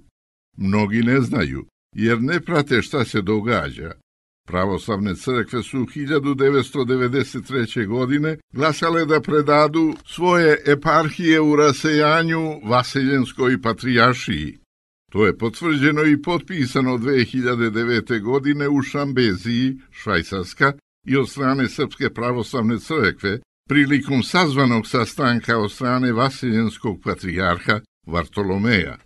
Mnogi ne znaju, jer ne prate šta se događa. Pravoslavne crkve su 1993. godine glasale da predadu svoje eparhije u rasejanju Vaseljenskoj patrijaršiji. To je potvrđeno i potpisano 2009. godine u Šambeziji, Švajcarska, i od strane Srpske pravoslavne crkve prilikom sazvanog sastanka od strane Vaseljenskog patrijarha Vartolomeja.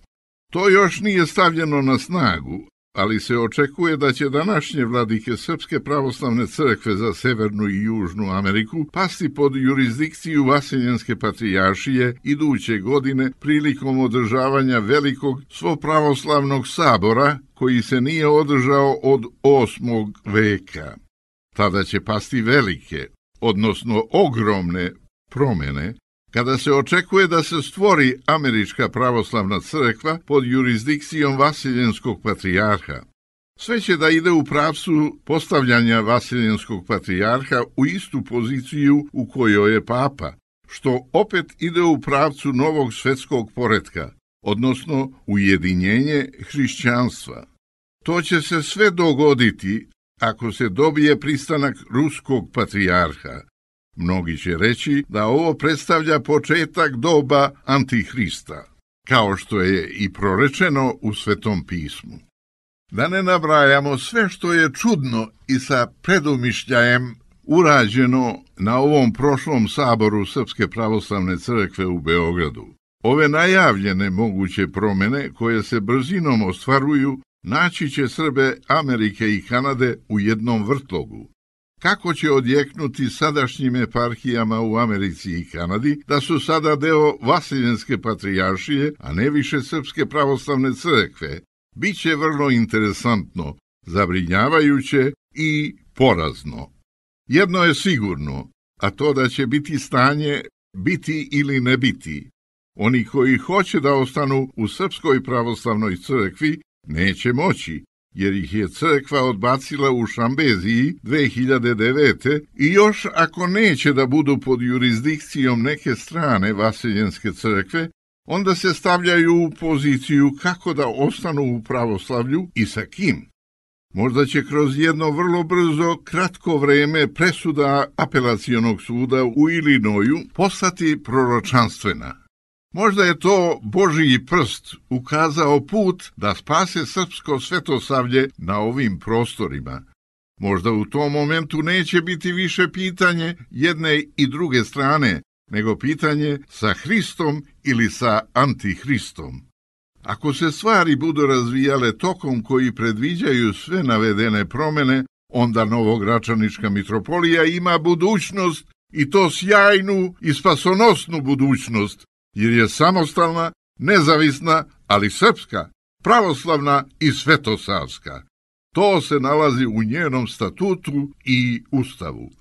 To još nije stavljeno na snagu, ali se očekuje da će današnje vladike Srpske pravoslavne crkve za Severnu i Južnu Ameriku pasti pod jurisdikciju Vaseljenske patrijaršije iduće godine prilikom održavanja velikog svopravoslavnog sabora koji se nije održao od 8. veka. Tada će pasti velike, odnosno ogromne promjene, kada se očekuje da se stvori Američka pravoslavna crkva pod jurisdikcijom Vaseljenskog patrijarha. Sve će da ide u pravcu postavljanja Vaseljenskog patrijarha u istu poziciju u kojoj je papa, što opet ide u pravcu novog svetskog poretka, odnosno ujedinjenje hrišćanstva. To će se sve dogoditi ako se dobije pristanak ruskog patrijarha. Mnogi će reći da ovo predstavlja početak doba Antihrista, kao što je i prorečeno u Svetom pismu. Da ne nabrajamo sve što je čudno i sa predumišljajem urađeno na ovom prošlom saboru Srpske pravoslavne crkve u Beogradu. Ove najavljene moguće promjene koje se brzinom ostvaruju naći će Srbe Amerike i Kanade u jednom vrtlogu. Kako će odjeknuti sadašnjim eparhijama u Americi i Kanadi da su sada deo Vaseljenske patrijaršije, a ne više Srpske pravoslavne crkve, bit će vrlo interesantno, zabrinjavajuće i porazno. Jedno je sigurno, a to da će biti stanje biti ili ne biti. Oni koji hoće da ostanu u Srpskoj pravoslavnoj crkvi neće moći, jer ih je crkva odbacila u Šambeziji 2009. i još ako neće da budu pod jurisdikcijom neke strane Vaseljenske crkve, onda se stavljaju u poziciju kako da ostanu u pravoslavlju i sa kim. Možda će kroz jedno vrlo brzo, kratko vreme presuda apelacionog suda u Illinoisu postati proročanstvena. Možda je to Božiji prst ukazao put da spase srpsko svetosavlje na ovim prostorima. Možda u tom momentu neće biti više pitanje jedne i druge strane, nego pitanje sa Hristom ili sa Antihristom. Ako se stvari budu razvijale tokom koji predviđaju sve navedene promene, onda Novogračanička mitropolija ima budućnost, i to sjajnu i spasonosnu budućnost, jer je samostalna, nezavisna, ali srpska, pravoslavna i svetosavska. To se nalazi u njenom statutu i ustavu.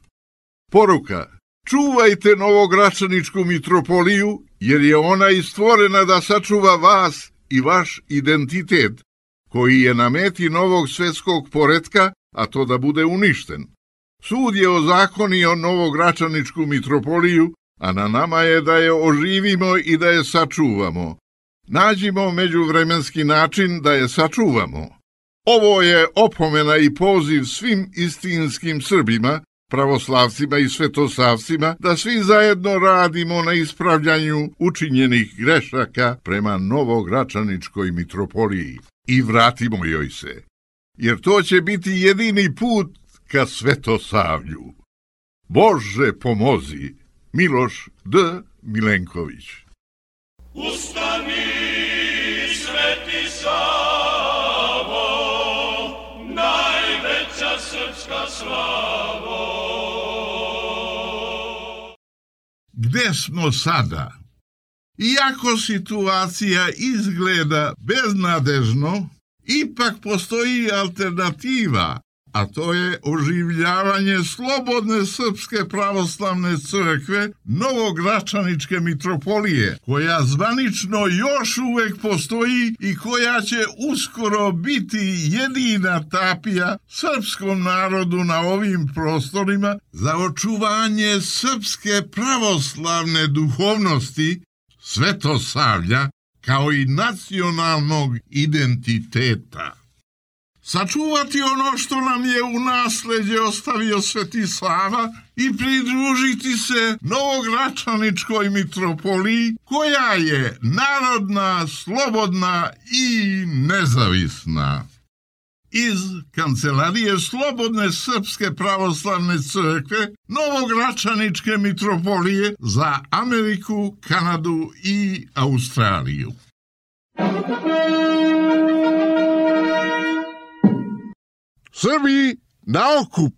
Poruka: čuvajte Novogračaničku mitropoliju, jer je ona i stvorena da sačuva vas i vaš identitet, koji je na meti novog svetskog poretka, a to da bude uništen. Sud je ozakonio Novogračaničku mitropoliju, a na nama je da je oživimo i da je sačuvamo. Nađimo međuvremenski način da je sačuvamo. Ovo je opomena i poziv svim istinskim Srbima, pravoslavcima i svetosavcima, da svi zajedno radimo na ispravljanju učinjenih grešaka prema Novogračaničkoj mitropoliji i vratimo joj se, jer to će biti jedini put ka svetosavlju. Bože pomozi! Miloš D. Milenković.
Ustani, Sveti Savo, najveća srpska slavo.
Gde smo sada? Iako situacija izgleda beznadežno, ipak postoji alternativa, a to je oživljavanje slobodne Srpske pravoslavne crkve Novogračaničke mitropolije, koja zvanično još uvek postoji i koja će uskoro biti jedina tapija srpskom narodu na ovim prostorima za očuvanje srpske pravoslavne duhovnosti, svetosavlja, kao i nacionalnog identiteta. Sačuvati ono što nam je u nasleđe ostavio Sveti Sava i pridružiti se Novogračaničkoj mitropoliji, koja je narodna, slobodna i nezavisna. Iz Kancelarije Slobodne Srpske pravoslavne crkve Novogračaničke mitropolije za Ameriku, Kanadu i Australiju.
Srbi na okup!